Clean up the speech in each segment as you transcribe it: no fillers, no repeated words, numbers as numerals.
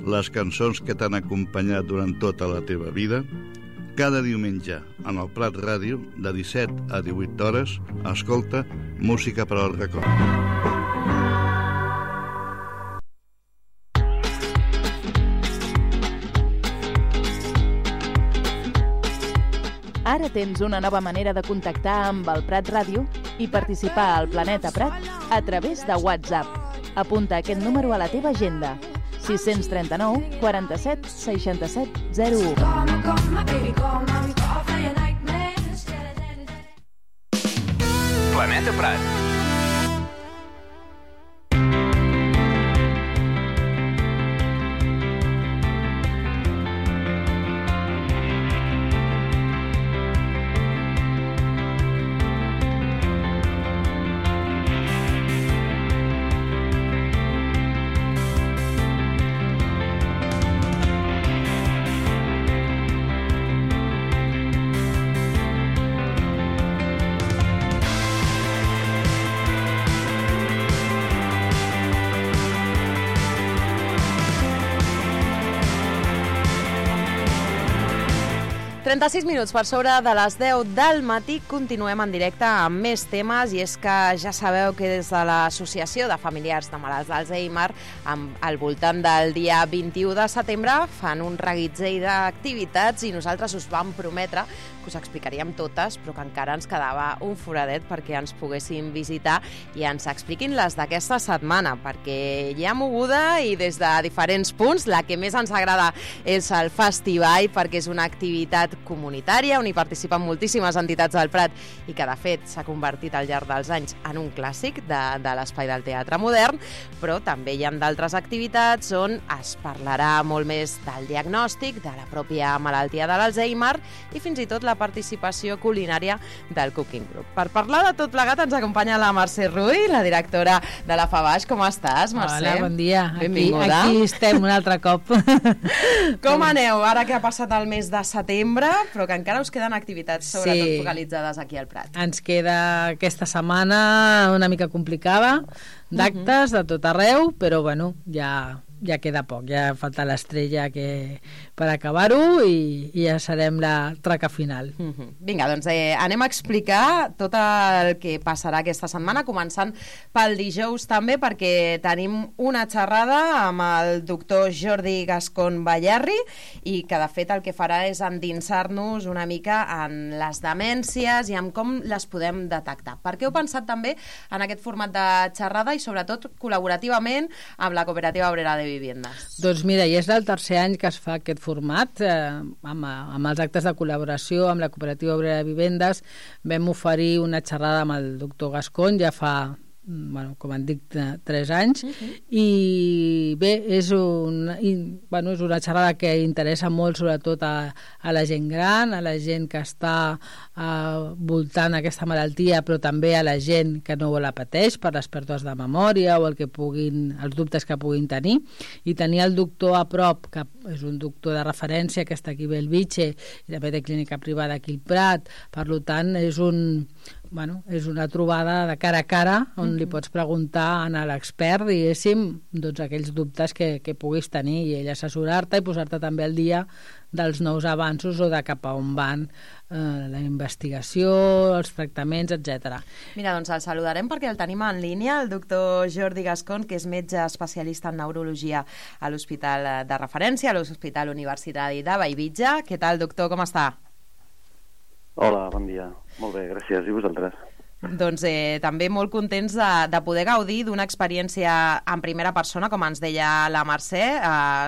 les cançons que t'han acompanyat durant tota la teva vida? Cada diumenge, en el Prat Ràdio, de 17 a 18 hores, escolta Música per al record. Ara tens una nova manera de contactar amb el Prat Ràdio i participar al Planeta Prat a través de WhatsApp. Apunta aquest número a la teva agenda: 639 47 67 01. Planeta Prat. Minuts per sobre de les 10 del matí. Continuem en directe amb més temes, i és que ja sabeu que des de l'Associació de Familiars de Malalts d'Alzheimer, al voltant del dia 21 de setembre, fan un reguitzell d'activitats, i nosaltres us vam prometre que us explicaríem totes, però que encara ens quedava un foradet perquè ens poguessin visitar i ens expliquin les d'aquesta setmana, perquè hi ha moguda i des de diferents punts. La que més ens agrada és el Festival, perquè és una activitat comunitària on hi participen moltíssimes entitats del Prat i que de fet s'ha convertit al llarg dels anys en un clàssic de l'espai del teatre modern, però també hi ha d'altres activitats on es parlarà molt més del diagnòstic, de la pròpia malaltia de l'Alzheimer i fins i tot la participació culinària del Cooking Group. Per parlar de tot plegat ens acompanya la Mercè Rull, la directora de la FABAix. Com estàs, Mercè? Hola, bon dia. Benvinguda. Aquí estem un altre cop. Com aneu ara que ha passat el mes de setembre, però que encara us queden activitats sobretot focalitzades aquí al Prat? Ens queda aquesta setmana una mica complicada d'actes de tot arreu, però bueno, ja queda poc, ja falta l'estrella per acabar-ho i ja serem la traca final. Vinga, doncs anem a explicar tot el que passarà aquesta setmana, començant pel dijous també, perquè tenim una xerrada amb el doctor Jordi Gascon Bayarri, i que de fet el que farà és endinsar-nos una mica en les demències i en com les podem detectar. Per què heu pensat també en aquest format de xerrada i sobretot col·laborativament amb la Cooperativa Obrera de Viviendes? Doncs mira, ja és el tercer any que es fa aquest format, amb els actes de col·laboració amb la Cooperativa Obrera de Viviendes. Vam oferir una xerrada amb el doctor Gascon ja fa, com han dit, 3 anys, i bé, és una xerrada que interessa molt sobretot a la gent gran, a la gent que està voltant aquesta malaltia, però també a la gent que no la pateix per les pèrdues de memòria o els dubtes que puguin tenir, i tenir el doctor a prop, que és un doctor de referència que està aquí a Bellvitge i també té clínica privada aquí al Prat. Per tant, és una trobada de cara a cara on li pots preguntar a l'expert, diguéssim, doncs aquells dubtes que puguis tenir, i ell assessorar-te i posar-te també al dia dels nous avanços o de cap a on van la investigació, els tractaments, etc. Mira, doncs el saludarem perquè el tenim en línia, el doctor Jordi Gascon, que és metge especialista en neurologia a l'Hospital de Referència, a l'Hospital Universitari de Bellvitge. Què tal, doctor? Com està? Hola, bon dia. Molt bé, gràcies. I vosaltres? Doncs també molt contents de poder gaudir d'una experiència en primera persona, com ens deia la Mercè,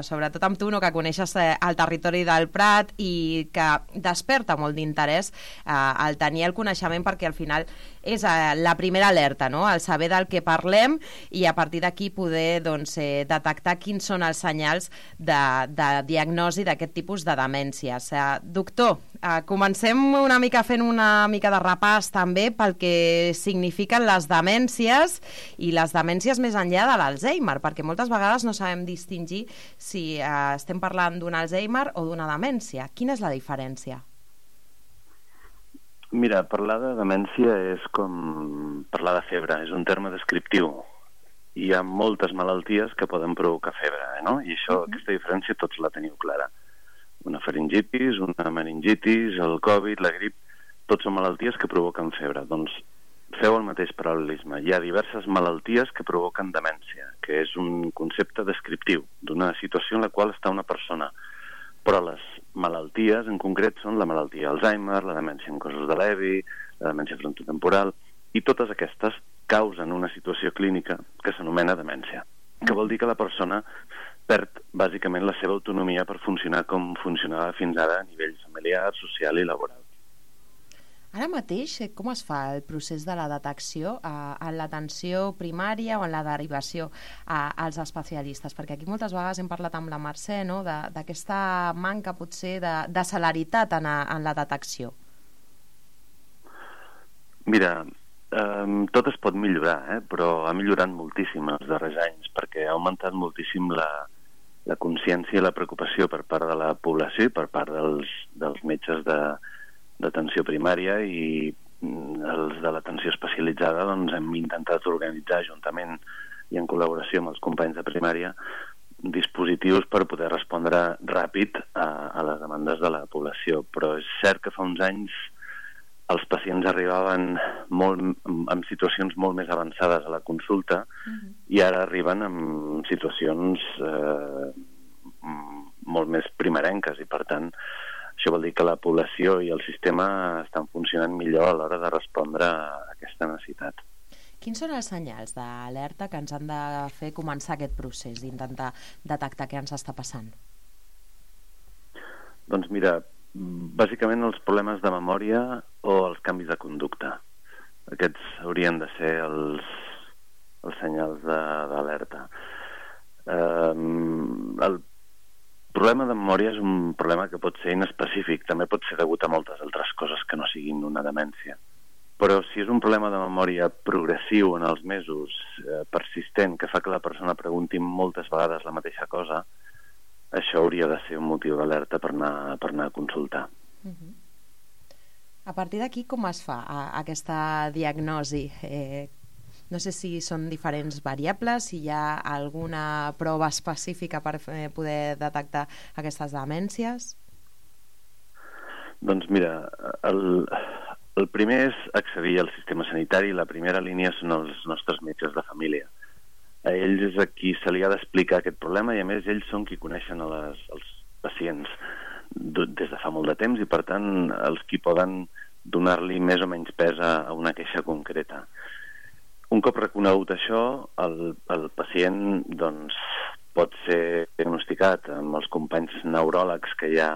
sobretot amb tu, que coneixes el territori del Prat i que desperta molt d'interès el tenir el coneixement, perquè al final és la primera alerta, no? El saber del que parlem i a partir d'aquí poder detectar quins són els senyals de diagnosi d'aquest tipus de demències. Doctor, comencem una mica fent una mica de repàs també pel que signifiquen les demències i les demències més enllà de l'Alzheimer, perquè moltes vegades no sabem distingir si estem parlant d'un Alzheimer o d'una demència. Quina és la diferència? Mira, parlar de demència és com parlar de febre, és un terme descriptiu hi ha moltes malalties que poden provocar febre, no? I això, aquesta diferència tots la teniu clara. Una faringitis, una meningitis, el Covid, la grip, tots són malalties que provoquen febre. Doncs feu el mateix paral·lelisme. Hi ha diverses malalties que provoquen demència, que és un concepte descriptiu d'una situació en la qual està una persona. Però les malalties en concret són la malaltia Alzheimer, la demència en cossos de Levy, la demència frontotemporal, i totes aquestes causen una situació clínica que s'anomena demència, que vol dir que la persona perd bàsicament la seva autonomia per funcionar com funcionava fins ara a nivell familiar, social i laboral. Ara mateix, com es fa el procés de la detecció en l'atenció primària o en la derivació als especialistes? Perquè aquí moltes vegades hem parlat amb la Mercè, no?, d'aquesta manca potser de celeritat en la detecció. Mira, tot es pot millorar, però ha millorat moltíssim els darrers anys perquè ha augmentat moltíssim la consciència i la preocupació per part de la població i per part dels metges d'atenció primària, i els de l'atenció especialitzada doncs hem intentat organitzar juntament i en col·laboració amb els companys de primària dispositius per poder respondre ràpid a les demandes de la població. Però és cert que fa uns anys els pacients arribaven en situacions molt més avançades a la consulta i ara arriben en situacions molt més primerenques, i per tant això vol dir que la població i el sistema estan funcionant millor a l'hora de respondre a aquesta necessitat. Quins són els senyals d'alerta que ens han de fer començar aquest procés d'intentar detectar què ens està passant? Doncs mira, bàsicament els problemes de memòria o els canvis de conducta. Aquests haurien de ser els senyals d'alerta. El problema de memòria és un problema que pot ser inespecífic, també pot ser degut a moltes altres coses que no siguin una demència. Però si és un problema de memòria progressiu en els mesos, persistent, que fa que la persona pregunti moltes vegades la mateixa cosa, això hauria de ser un motiu d'alerta per anar a consultar. A partir d'aquí, com es fa aquesta diagnosi? No sé si són diferents variables, si hi ha alguna prova específica per poder detectar aquestes demències? Doncs mira, el primer és accedir al sistema sanitari. La primera línia són els nostres metges de família. A ells és a qui se li ha d'explicar aquest problema, i a més ells són qui coneixen els pacients des de fa molt de temps, i per tant els qui poden donar-li més o menys pes a una queixa concreta. Un cop reconegut això, el pacient doncs, pot ser diagnosticat amb els companys neuròlegs que hi ha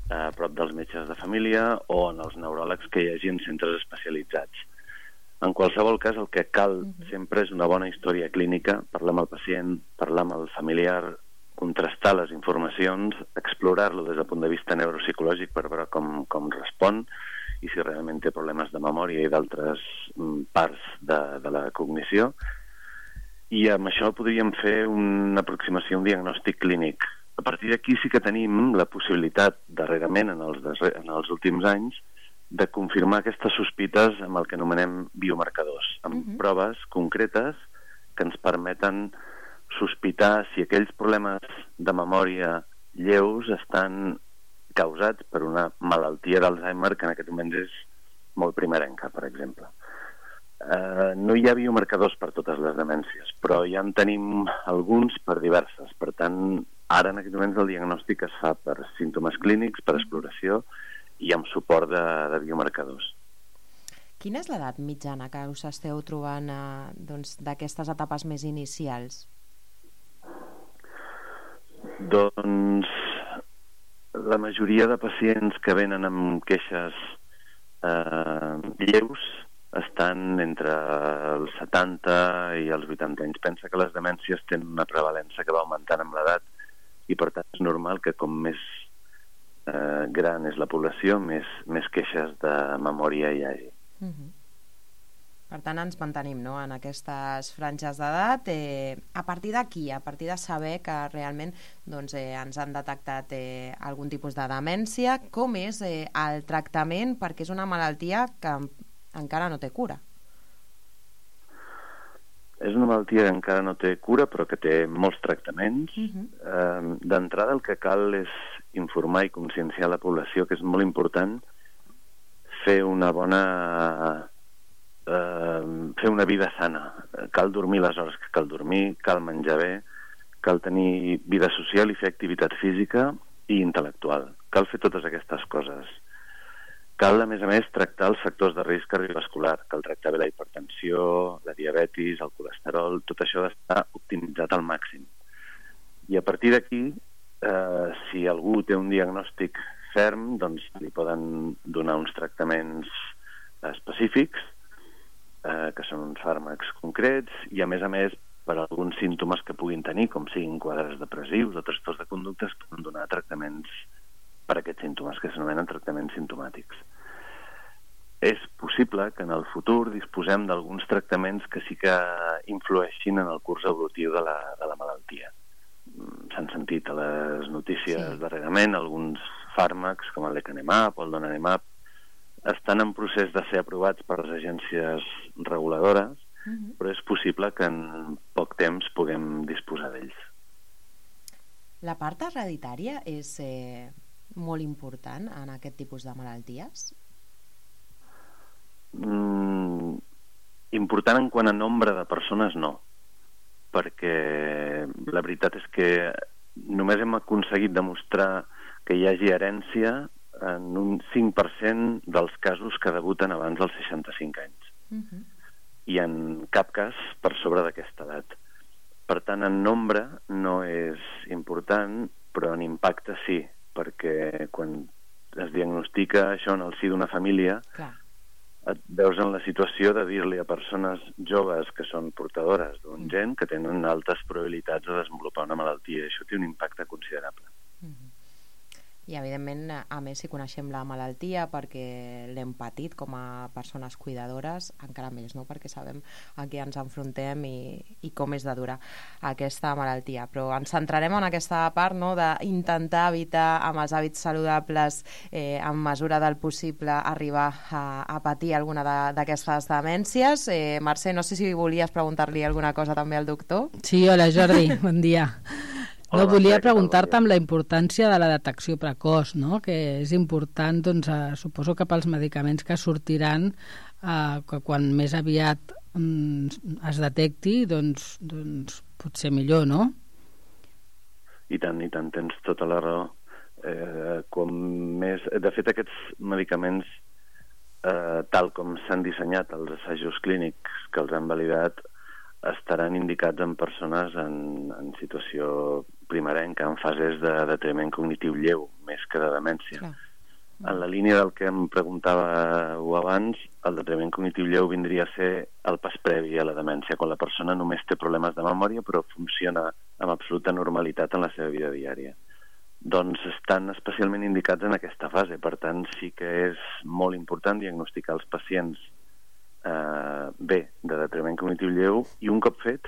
a prop dels metges de família o en els neuròlegs que hi hagi en centres especialitzats. En qualsevol cas, el que cal sempre és una bona història clínica, parlar amb el pacient, parlar amb el familiar, contrastar les informacions, explorar-lo des del punt de vista neuropsicològic per veure com respon i si realment té problemes de memòria i d'altres parts de la cognició. I amb això podríem fer una aproximació, un diagnòstic clínic. A partir d'aquí sí que tenim la possibilitat, darrerament, en els últims anys, de confirmar aquestes sospites amb el que anomenem biomarcadors, amb proves concretes que ens permeten sospitar si aquells problemes de memòria lleus estan causats per una malaltia d'Alzheimer que en aquest moment és molt primerenca, per exemple. No hi ha biomarcadors per totes les demències, però ja en tenim alguns per diverses. Per tant, ara en aquest moment el diagnòstic es fa per símptomes clínics, per exploració i amb suport de biomarcadors. Quina és l'edat mitjana que us esteu trobant d'aquestes etapes més inicials? Doncs la majoria de pacients que venen amb queixes lleus estan entre els 70 i els 80 anys. Pensa que les demències tenen una prevalença que va augmentant amb l'edat i per tant és normal que com més gran és la població, més queixes de memòria hi hagi. Per tant, ens mantenim en aquestes franges d'edat. A partir d'aquí, a partir de saber que realment ens han detectat algun tipus de demència, com és el tractament, perquè és una malaltia que encara no té cura? És una malaltia que encara no té cura, però que té molts tractaments. D'entrada el que cal és informar i conscienciar la població, que és molt important fer una vida sana. Cal dormir les hores que cal dormir, cal menjar bé, cal tenir vida social i fer activitat física i intel·lectual. Cal fer totes aquestes coses. Cal, a més, tractar els factors de risc cardiovascular. Cal tractar bé la hipertensió, la diabetis, el colesterol, tot això ha d'estar optimitzat al màxim. I a partir d'aquí, si algú té un diagnòstic ferm, doncs li poden donar uns tractaments específics, que són uns fàrmacs concrets, i a més, per alguns símptomes que puguin tenir, com siguin quadres depressius o trastorns de conducta, es poden donar tractaments per aquests símptomes, que s'anomenen tractaments simptomàtics. És possible que en el futur disposem d'alguns tractaments que sí que influeixin en el curs evolutiu de la malaltia. S'han sentit a les notícies darrerament alguns fàrmacs, com el lecanemab o el donanemab, estan en procés de ser aprovats per les agències reguladores, però és possible que en poc temps puguem disposar d'ells. La part hereditària és molt important en aquest tipus de malalties? Important en quant a nombre de persones, no. Perquè la veritat és que només hem aconseguit demostrar que hi hagi herència en un 5% dels casos que debuten abans dels 65 anys. I en cap cas per sobre d'aquesta edat. Per tant, en nombre no és important, però en impacte sí, perquè quan es diagnostica això en el si d'una família, et veus en la situació de dir-li a persones joves que són portadores d'un gen que tenen altes probabilitats de desenvolupar una malaltia. Això té un impacte considerable. I, evidentment, a més, si coneixem la malaltia perquè l'hem patit com a persones cuidadores, encara més, no? Perquè sabem a què ens enfrontem i com és de dura aquesta malaltia. Però ens centrarem en aquesta part, no?, d'intentar evitar amb els hàbits saludables, en mesura del possible, arribar a patir alguna d'aquestes demències. Mercè, no sé si volies preguntar-li alguna cosa també al doctor. Sí, hola Jordi, bon dia. No, volia preguntar-te amb la importància de la detecció precoç, no? Que és important, doncs, suposo que pels medicaments que sortiran, que quan més aviat es detecti, doncs potser millor, no? I tant, tens tota la raó. De fet, aquests medicaments, tal com s'han dissenyat els assajos clínics que els han validat, estaran indicats en persones en situació primerenca, en fases de deteriorament cognitiu lleu, més que de demència. En la línia del que em preguntàveu abans, el deteriorament cognitiu lleu vindria a ser el pas previ a la demència, quan la persona només té problemes de memòria però funciona amb absoluta normalitat en la seva vida diària. Doncs estan especialment indicats en aquesta fase, per tant sí que és molt important diagnosticar els pacients bé de deteriorament cognitiu lleu, i un cop fet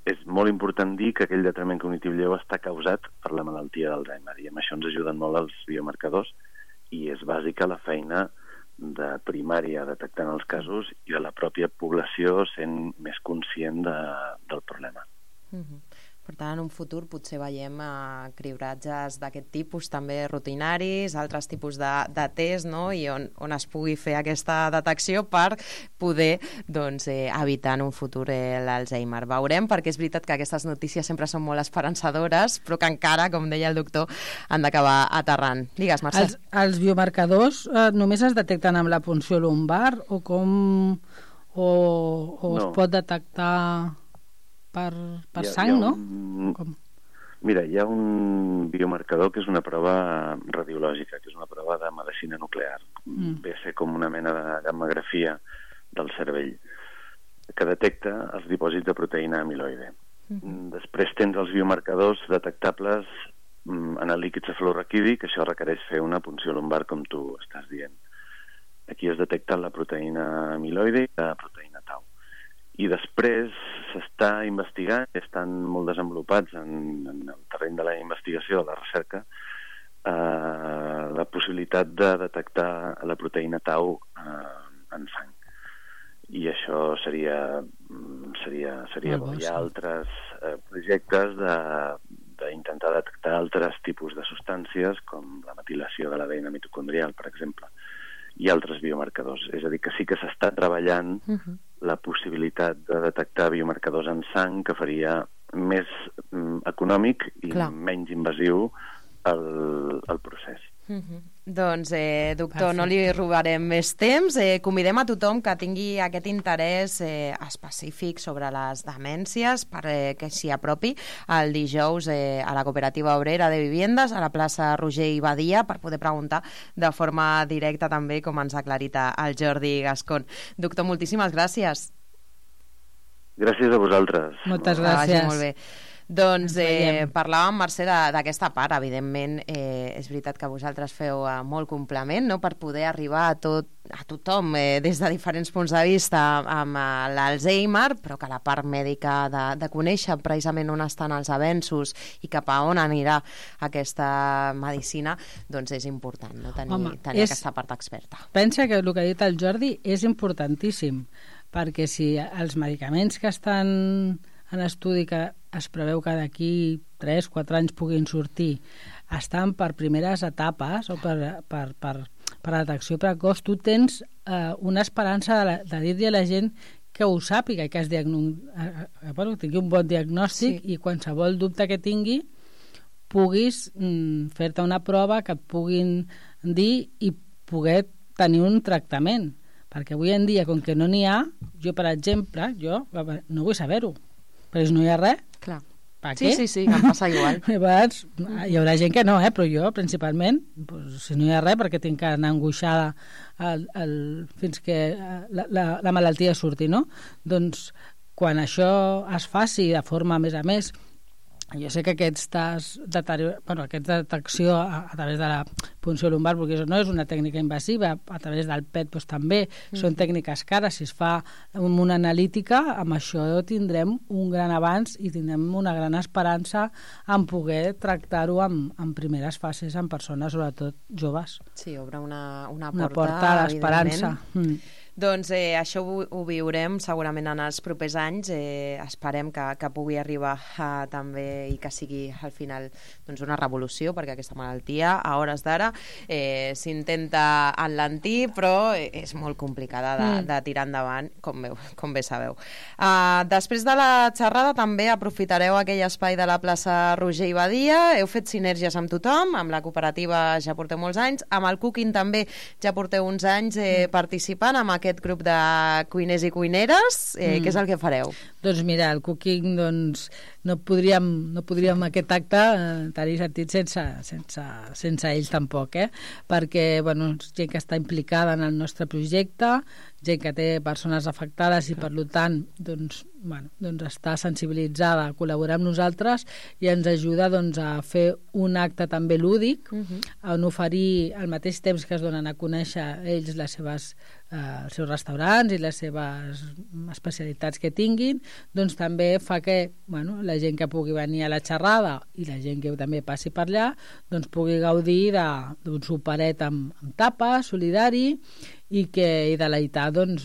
és molt important dir que aquell deteriorament cognitiu lleu està causat per la malaltia d'Alzheimer, i amb això ens ajuden molt els biomarcadors, i és bàsica la feina de primària detectant els casos i de la pròpia població sent més conscient del problema. Per tant, en un futur potser veiem cribratges d'aquest tipus també rutinaris, altres tipus de test, no? I on es pugui fer aquesta detecció per poder evitar en un futur l'Alzheimer. Veurem, perquè és veritat que aquestes notícies sempre són molt esperançadores, però que encara, com deia el doctor, han d'acabar aterrant. Digues, Mercè. Els biomarcadors només es detecten amb la punció lumbar o es pot detectar per sang, no? Mira, hi ha un biomarcador que és una prova radiològica, que és una prova de medicina nuclear. Ve a ser com una mena de gammografia del cervell, que detecta els dipòsits de proteïna amiloide. Després tens els biomarcadors detectables en el líquid cefalorraquídic, això requereix fer una punció lumbar, com tu estàs dient. Aquí es detecta la proteïna amiloide i la proteïna tau. I després s'està investigant, estan molt desenvolupats en el terreny de la investigació, de la recerca, la possibilitat de detectar la proteïna tau en sang. I això seria seria bo. Hi ha altres projectes d'intentar detectar altres tipus de substàncies, com la metilació de l'ADN mitocondrial, per exemple, i altres biomarcadors. És a dir, que sí que s'està treballant la possibilitat de detectar biomarcadors en sang, que faria més econòmic i menys invasiu el procés. Doncs, doctor, no li robarem més temps. Convidem a tothom que tingui aquest interès específic sobre les demències que s'hi apropi el dijous a la Cooperativa Obrera de Viviendes, a la plaça Roger i Badia, per poder preguntar de forma directa també, com ens ha aclarit el Jordi Gascón. Doctor, moltíssimes gràcies. Gràcies a vosaltres. Moltes gràcies. Molt bé. Doncs parlàvem, Mercè, d'aquesta part. Evidentment, és veritat que vosaltres feu molt complement, no?, per poder arribar a tothom des de diferents punts de vista amb l'Alzheimer, però que la part mèdica de conèixer precisament on estan els avenços i cap a on anirà aquesta medicina, doncs és important, no?, tenir aquesta part experta. Pensa que el que ha dit el Jordi és importantíssim, perquè si els medicaments que estan en estudi, que es preveu que d'aquí 3-4 anys puguin sortir, estan per primeres etapes o per detecció precoç, tu tens una esperança de dir-li a la gent que ho sàpiga, que tingui un bon diagnòstic, i qualsevol dubte que tingui puguis fer-te una prova que et puguin dir i poder tenir un tractament. Perquè avui en dia, com que no n'hi ha, jo, per exemple, no vull saber-ho. Però si no hi ha res, clar. Per què? Sí, em passa igual. Hi haurà gent que no, però jo, principalment, si no hi ha res, perquè tinc que anar angoixada fins que la malaltia surti, no? Doncs, quan això es faci de forma, a més, jo sé que aquesta detecció a través de la punció lumbar, perquè això no és una tècnica invasiva, a través del PET doncs, també són tècniques cares. Si es fa amb una analítica, amb això tindrem un gran avanç i tindrem una gran esperança en poder tractar-ho en primeres fases en persones, sobretot joves. Sí, obre una porta a l'esperança. Doncs això ho viurem segurament en els propers anys. Esperem que pugui arribar també i que sigui al final una revolució, perquè aquesta malaltia a hores d'ara s'intenta enlentir, però és molt complicada de tirar endavant, com bé sabeu. Després de la xerrada també aprofitareu aquell espai de la plaça Roger i Badia. Heu fet sinergies amb tothom, amb la cooperativa ja porteu molts anys, amb el Cooking també ja porteu uns anys participant amb aquest grup de cuiners i cuineres. Què és el que fareu? Doncs mira, el Cooking no podríem aquest acte tenir sentit sense ells tampoc, perquè gent que està implicada en el nostre projecte, gent que té persones afectades i per tant està sensibilitzada a col·laborar amb nosaltres i ens ajuda a fer un acte també lúdic, on oferir al mateix temps que es donen a conèixer ells els seus restaurants i les seves especialitats que tinguin, doncs també fa que la gent que pugui venir a la xerrada i la gent que també passi per allà doncs pugui gaudir d'un superet amb tapes, solidari, i deleitar els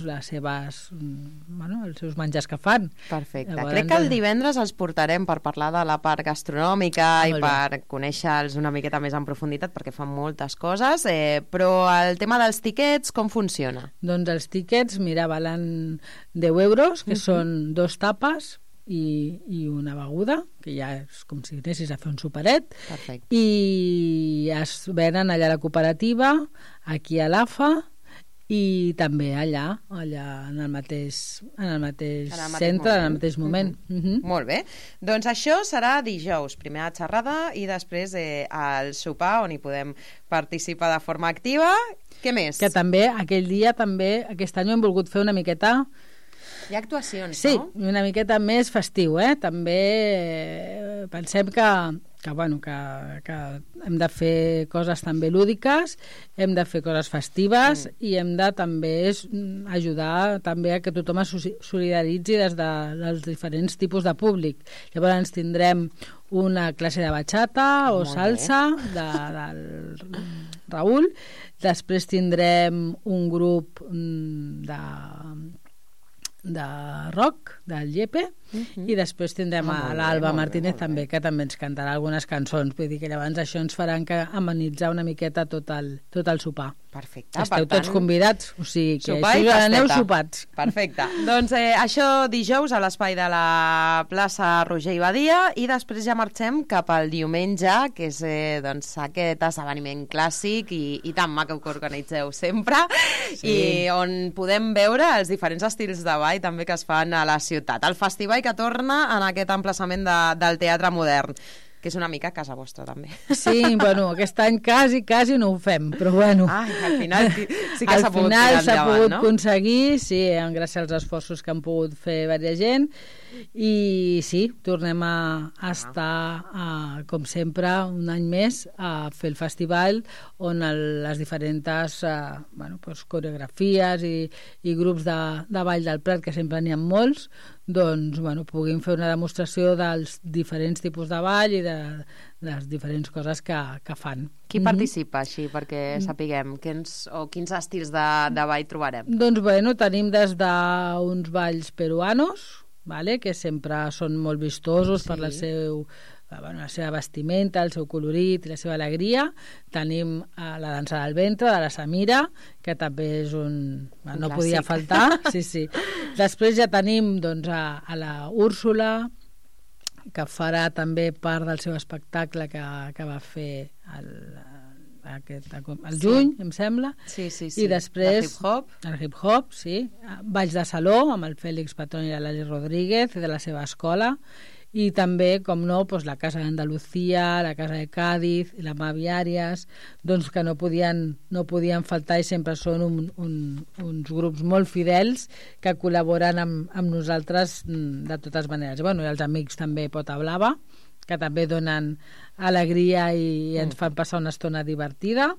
seus menjars que fan. Perfecte. Crec que el divendres els portarem per parlar de la part gastronòmica i per conèixer-los una miqueta més en profunditat, perquè fan moltes coses, però el tema dels tiquets, com funciona? Doncs els tiquets, mira, valen 10 euros, que són 2 tapes i una beguda, que ja és com si anessis a fer un superet. Perfecte. I es venen allà a la cooperativa, aquí a l'AFA, i també allà en el mateix centre, en el mateix moment. Molt bé. Doncs això serà dijous, primer la xerrada i després el sopar, on hi podem participar de forma activa. Què més? Que també, aquell dia, aquest any ho hem volgut fer una miqueta... Hi ha actuacions, no? Sí, una miqueta més festiu, També pensem que hem de fer coses també lúdiques, hem de fer coses festives i hem de també ajudar també a que tothom es solidaritzi des dels diferents tipus de públic. Llavors tindrem una classe de bachata o salsa del Raül, després tindrem un grup rock, del Llepe, i després tindrem a l'Alba Martínez també, que també ens cantarà algunes cançons. Vull dir que llavors això ens farà amenitzar una miqueta tot el sopar. Perfecte. Esteu tots convidats, o sigui que sopar i aneu sopats. Perfecte. Doncs això dijous a l'espai de la plaça Roger i Badia, i després ja marxem cap al diumenge, que és doncs, aquest esdeveniment clàssic i tan maco que organitzeu sempre, i on podem veure els diferents estils de ball també que es fan a la ciutat. El festival que torna en aquest emplaçament del Teatre Modern, que és una mica casa vostra, també. Sí, bueno, aquest any quasi no ho fem, però bueno. Ai, al final sí que s'ha pogut tirar endavant, no? Al final s'ha pogut aconseguir, sí, gràcies als esforços que han pogut fer diversa gent, i sí, tornem a estar, com sempre, un any més a fer el festival on les diferents coreografies i grups de ball del Prat, que sempre n'hi ha molts, doncs puguin fer una demostració dels diferents tipus de ball i de les diferents coses que fan. Qui participa així, perquè sapiguem quins estils de ball trobarem? Doncs tenim des d'uns balls peruanos, que sempre són molt vistosos per la seva vestimenta, el seu colorit i la seva alegria. Tenim la dansa del ventre, de la Samira, que també és no podia faltar. Sí. Després ja tenim a la Úrsula, que farà també part del seu espectacle que va fer el juny, em sembla. Sí. I després el hip-hop, sí. Balls de saló, amb el Fèlix Patrón i l'Ali Rodríguez, de la seva escola. I també, com no, la Casa d'Andalucía, la Casa de Cádiz i la Mavi Àries, doncs que no podien faltar, i sempre són uns grups molt fidels que col·laboren amb nosaltres de totes maneres. I els amics també Pota Blava, que també donen alegria i ens fan passar una estona divertida.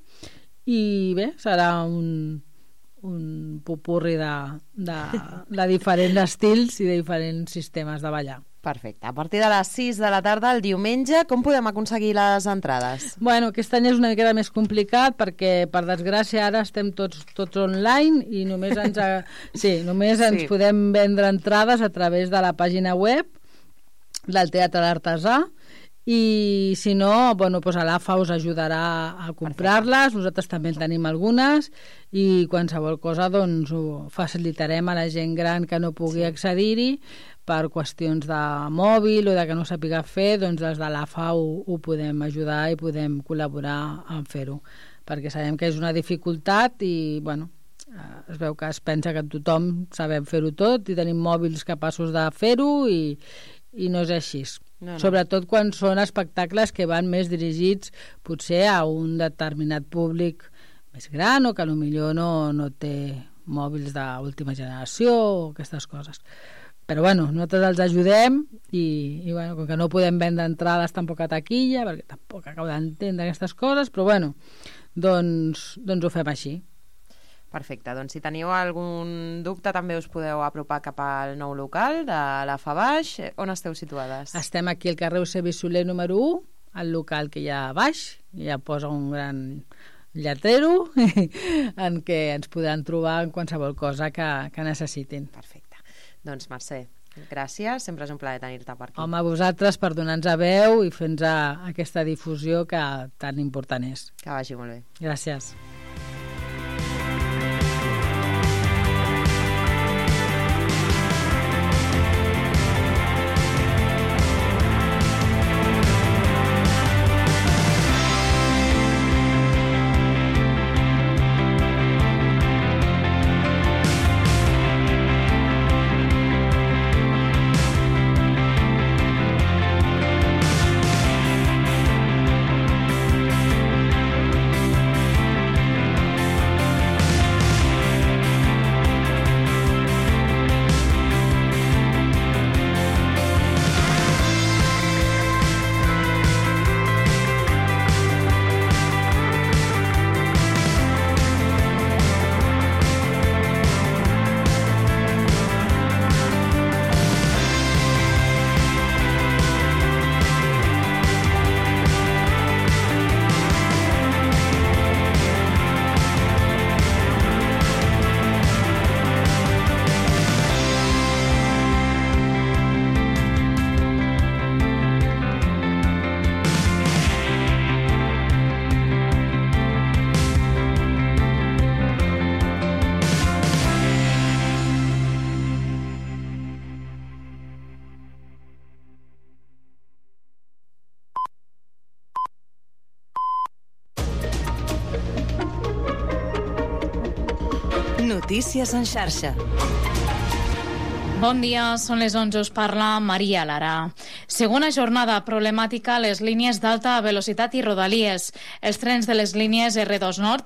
I bé, serà un popurri de diferents estils i de diferents sistemes de ballar. Perfecte. A partir de les 6 de la tarda, el diumenge, com podem aconseguir les entrades? Aquest any és una miqueta més complicat perquè, per desgràcia, ara estem tots online i només ens podem vendre entrades a través de la pàgina web del Teatre d'Artesà, i si no, a l'AFA us ajudarà a comprar-les. Nosaltres també en tenim algunes, i qualsevol cosa ho facilitarem a la gent gran que no pugui accedir-hi per qüestions de mòbil o de que no sàpiga fer. Des de l'AFA ho podem ajudar i podem col·laborar en fer-ho, perquè sabem que és una dificultat i es veu que es pensa que tothom sabem fer-ho tot i tenim mòbils capaços de fer-ho, i no és així. No. Sobretot quan són espectacles que van més dirigits potser a un determinat públic més gran, o que potser no té mòbils d'última generació o aquestes coses. Però nosaltres els ajudem, i com que no podem vendre entrades tampoc a taquilla, perquè tampoc acabo d'entendre aquestes coses, però doncs ho fem així. Perfecte, doncs si teniu algun dubte també us podeu apropar cap al nou local de la Fabaix. On esteu situades? Estem aquí al carrer Eusebi Soler número 1, al local que hi ha a baix, ja posa un gran lletrero en què ens podran trobar en qualsevol cosa que necessitin. Perfecte. Doncs Mercè, gràcies, sempre és un plaer tenir-te per aquí. Home, a vosaltres per donar-nos veu i fer-nos aquesta difusió que tan important és. Que vagi molt bé. Gràcies. Notícies en xarxa. Bon dia, són les 11, us parla Maria Lara. Segona jornada problemàtica a les línies d'alta velocitat i rodalies. Els trens de les línies R2 Nord